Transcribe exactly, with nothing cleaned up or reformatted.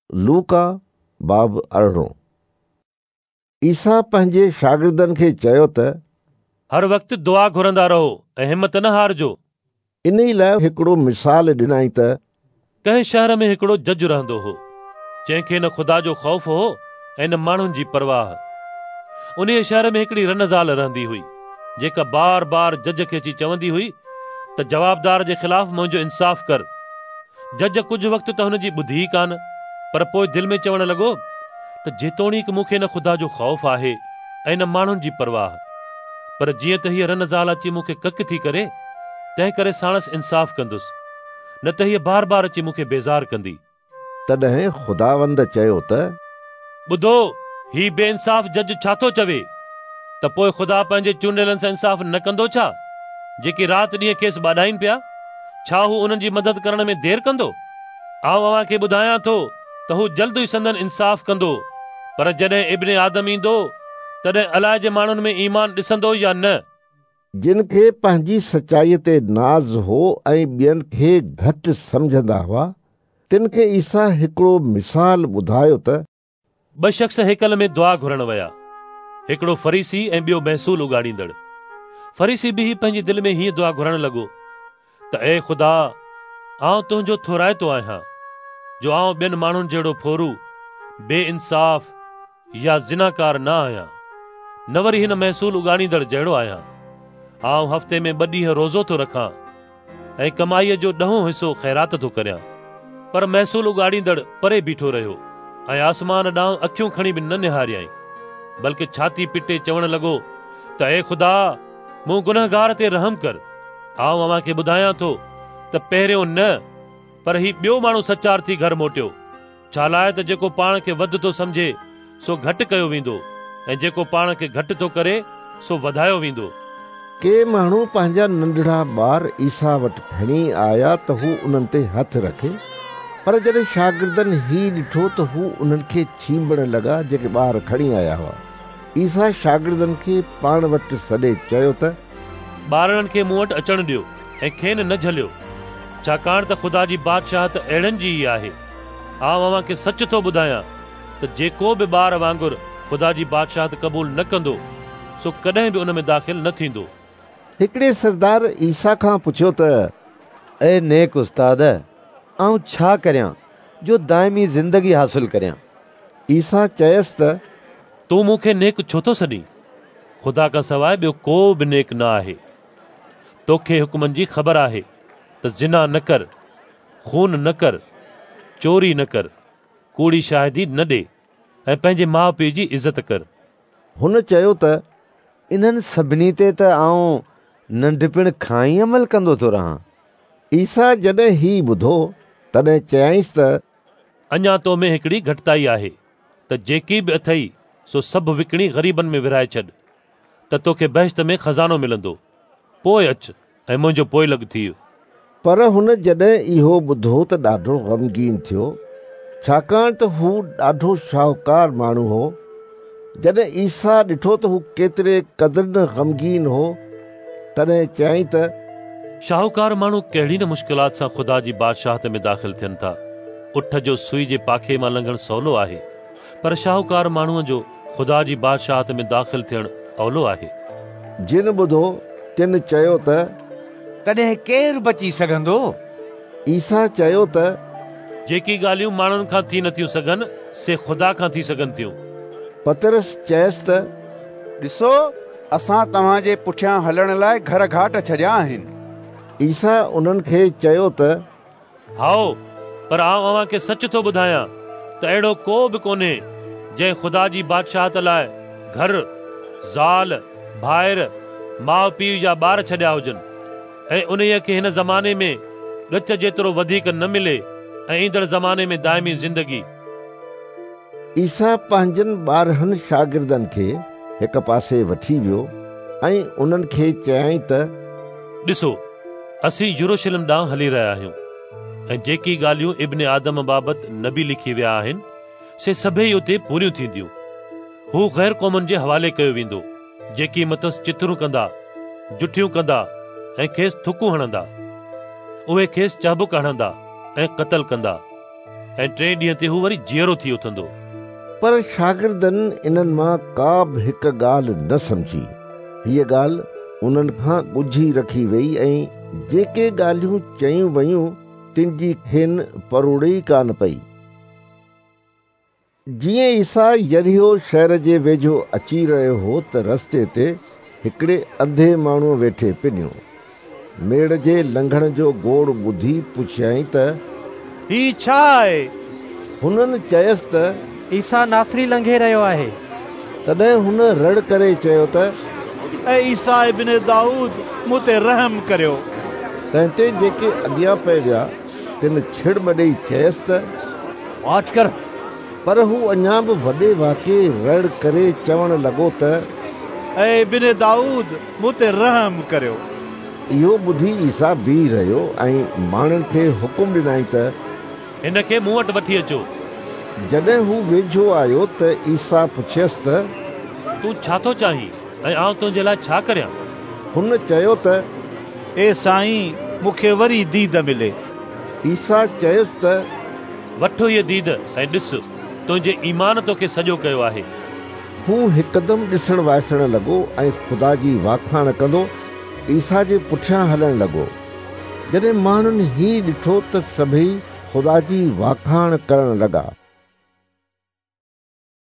لوڪا باب ارڙهن. عيسيٰ پنهنجي شاگردن کي چيو ته هر وقت دعا گهرندا رهو ۽ همت نه هارجو. انهي لاء هڪڙو مثال ڏنائين ته ڪنهن شهر ۾ هڪڙو جج رهندو هو، جنهن کي نه خدا جو خوف هو ۽ نه ماڻهن جي پرواهه. انهيء شهر ۾ هڪڙي رن زال رهندي هئي، جيڪا بار بار جج کي اچي چوندي هئي ته جوابدار جي خلاف منهنجو انصاف ڪر. جج ڪجهه وقت ته هن جي ٻڌي ئي ڪانه، پر پوءِ دل ۾ چوڻ لڳو ته جيتوڻيڪ مون کي نه خدا جو خوف آهي ۽ نه ماڻهن جي پرواهه، پر جيئن ته هيءَ رن زال اچي مون کي ڪڪ ٿي ڪري، تنهن ڪري ساڻس انصاف ڪندس، نه ته هيءَ بار بار اچي مون کي بيزار ڪندي. تڏهن خداوند چيو ته ٻڌو، هي بي انصاف جج ڇا ٿو چوي؟ ته پوءِ خدا پنهنجي چونڊيلن سان انصاف نه ڪندو ڇا، جيڪي رات ڏينهن کيس ٻاڏائين پيا؟ ڇا هو انهن جي مدد ڪرڻ ۾ دير ڪندو؟ آئون اوهان کي ٻڌايان ٿو ته هو جلد ئي سندن انصاف ڪندو. پر جڏهن ابن آدم ايندو تڏهن الائي ماڻهن ۾ ايمان ڏسندو يا نه؟ جن کي پنهنجي سچائيءَ تي ناز هو ۽ ٻين کي گهٽ سمجهندا هئا، تن کي عيسيٰ هڪڙو مثال ٻڌايو ته ٻه شخص هيڪل ۾ دعا گهرڻ ويا، هڪڙو فريسي ۽ ٻيو محصول اڳاڙيندڙ. فريسي بيهي پنهنجي دل ۾ هيئن دعا گهرڻ لڳو ته اي خدا، آئون تنهنجو ٿورائتو آهيان جو آئون ٻين ماڻهن جهڙو ڦورو، بي انصاف يا زناڪار نه آهيان، نه وري هن محصول اڳاڙيندڙ جهڙو آهيان. آئون هفتي ۾ ٻه ڏينهن روزو ٿو رکان ۽ ڪمائيءَ جو ڏهون حصو خيرات ٿو ڪريان. پر محصول اڳاڙيندڙ پري بيٺو رهيو ۽ آسمان ڏانهن اکيون کڻي به نه نهاريائين، بلڪه ڇاتي پٽي چوڻ لڳو ته اي خدا، مون گنهگار تي رحم ڪر. آئون اوهان کي ٻڌايان ٿو ته پهريون نه، پر هي ٻيو ماڻهو سچار ٿي گهر موٽيو. ڇا لاءِ ته جيڪو پاڻ کي وڌ ٿو سمجهي سو گهٽ ڪيو ويندو، ۽ جيڪو پاڻ کي گهٽ ٿو ڪري سو وڌايو ويندو. ڪي ماڻهو پنهنجا ننڍڙا ٻار عيسيٰ وٽ کڻي آيا ته هو انهن تي هٿ رکي، پر جڏهن شاگردن هي ڏٺو ته هو انهن کي ڇينڀڻ لڳا جيڪي ٻار کڻي آيا هئا. عيسيٰ شاگردن کي پاڻ وٽ سڏي چيو ته ٻارڙن کي مون وٽ اچڻ ڏيو ۽ کين نه جهليو، ڇاڪاڻ ته خدا جي بادشاهت اهڙن جي ئي آهي. آئون اوهان کي سچ ٿو ٻڌايان ته جيڪو به ٻار وانگر خدا جي بادشاهت قبول نه ڪندو سو ڪڏهن به ان ۾ داخل نه ٿيندو. هڪڙي سردار عيسيٰ کان پڇيو ته اي نيڪ استاد، آئون ڇا ڪريان جو دائمي زندگي حاصل ڪريان؟ عيسيٰ چيس ته تون مون کي نيڪ ڇو ٿو سڏين؟ خدا کان سواءِ ٻيو ڪو به نيڪ نه آهي. توکي حڪمن جي خبر آهي ته زنا نه ڪر، خون نه ڪر، چوري نه ڪر، ڪوڙي شاهدي نه ڏي ۽ پنهنجي ماءُ پيءُ جي عزت ڪر. هن چيو ته انهن سڀني تي ته آئون ننڍپڻ کان ئي عمل ڪندو ٿو رهان. عيسيٰ جڏهن هي ٻڌو تڏهن چيائينس ته اڃا تو ۾ هڪڙي گهٽتائي آهي ته جيڪي به اٿئي سو سڀ وڪڻي غريبن ۾ ورهائي ڇڏ ته توکي بهشت ۾ خزانو ملندو. پوءِ اچ ۽ منهنجو پوئلڳ ٿيءُ. پر هن جڏهن اهو ٻڌو ته ڏاڍو غمگين ٿيو، ڇاڪاڻ ته هو ڏاڍو شاهوڪار ماڻهو هو. جڏهن عيسيٰ ڏٺو ته هو ڪيتري قدر نه غمگين هو، تڏهن چيائين ته شاهوڪار ماڻهو ڪهڙي نه مشڪلات سان خدا جي بادشاهت ۾ داخل ٿين ٿا. اٺ جو سئي جي پاکي مان لنگهڻ سولو آهي، پر شاهوڪار ماڻهوءَ جو خدا جي بادشاهت ۾ داخل ٿيڻ اولو آهي. جن ٻڌو تن چيو ته تڏهن ڪير بچي سگهندو؟ عيسيٰ چيو ته جيڪي ڳالهيون ماڻهن کان ٿي نٿيون سگهن سي خدا کان ٿي سگهن ٿيون. پطرس چيس ته ڏسو، اسان توهان جي پٺيان هلڻ لاءِ گهر گهاٽ ڇڏيا آهن. عيسيٰ انهن کي چيو ته هائو، پر آئون اوهان کي سچ ٿو ٻڌايان ته اهڙو ڪو به ڪونهي جنهن خدا جي بادشاهت لاءِ گهر، زال، ڀائر، ماءُ پيءُ يا ٻار ڇڏيا هجن ۽ انهيءَ کي هن زماني ۾ ڳچ جيترو وڌيڪ نه ملي ۽ ايندڙ زماني ۾ دائمي زندگي. عيسيٰ پنهنجن ٻارهن شاگردن کي هڪ پاسي وٺي ويو ۽ انهن کي چيائين ته ڏسو، اسين يروشلم ڏانهن هلي رهيا آهيون ۽ جيڪي ڳالهيون ابن آدم بابت نبي لکي ويا آهن سي سڀئي اتي پوريون ٿينديون. هو غير قومن جي حوالي ڪيو ويندو، جيڪي مٿس چٿرون ڪندا، جٺيون ڪندا ۽ کيس ٿڪون هڻندا. اهي کيس چابڪ هڻندا ۽ قتل ڪندا. ۽ ٽئين ڏينهن تي هو وري جيئرو ٿي اٿندو. پر شاگردن انهن مان ڪا به هڪ ڳالهه نه سمجهي. هيءَ ڳالهه انهن کان ڳجهي رکي وئي ۽ جيڪي ڳالهيون چيون ويون تن جي کين پروڙ ئي ڪانه پئي. جيئن عيسيٰ يريحو شهر جي ويجهو اچي رهيو هو ته رستي تي هڪڙي انڌي ماڻهوءَ ويٺي پنيو. ميڙ جي لنگهڻ جو گوڙ ٻڌي پڇيائين ته هي ڇا آهي؟ هنن چيس ته عيسيٰ ناصري لنگهي رهيو آهي. تڏهن هن رڙ ڪري چيو ته اي عيسيٰ ابن دائود، مون تي رحم ڪريو. تنهن تي جيڪي اڳيان پئي ويا تن ڇڙٻ ڏيئي چيس ته واچ ڪر. پر هو اڃا به وڏي واڪي رڙ ڪري چوڻ لڳو ته اي ابن دائود، مون تي رحم ڪريو. اهو ٻڌي عيسيٰ بيهي رهيو ۽ ماڻهن کي حڪم ڏنائين ته هن کي مون وٽ وٺي اچو. جڏهن هو ويجهو آيو ته عيسيٰ پڇيس ته تون ڇا ٿو چاهين ۽ آئون تنهنجي لاءِ ڇا ڪريان؟ هن چيو ته اي سائين، مون کي وري ديد ملي. عيسيٰ چيس ته وٺ هيءَ ديد ۽ ڏس، تنهنجي ايمان توکي سڄو ڪيو آهي. هو هڪدم ڏسڻ وائسڻ لڳو ۽ خدا جي واکاڻ ڪندو عيسيٰ جي پٺيان هلڻ لڳو. جڏهن ماڻهن هي ڏٺو ته سڀئي خدا جي واکاڻ ڪرڻ لڳا.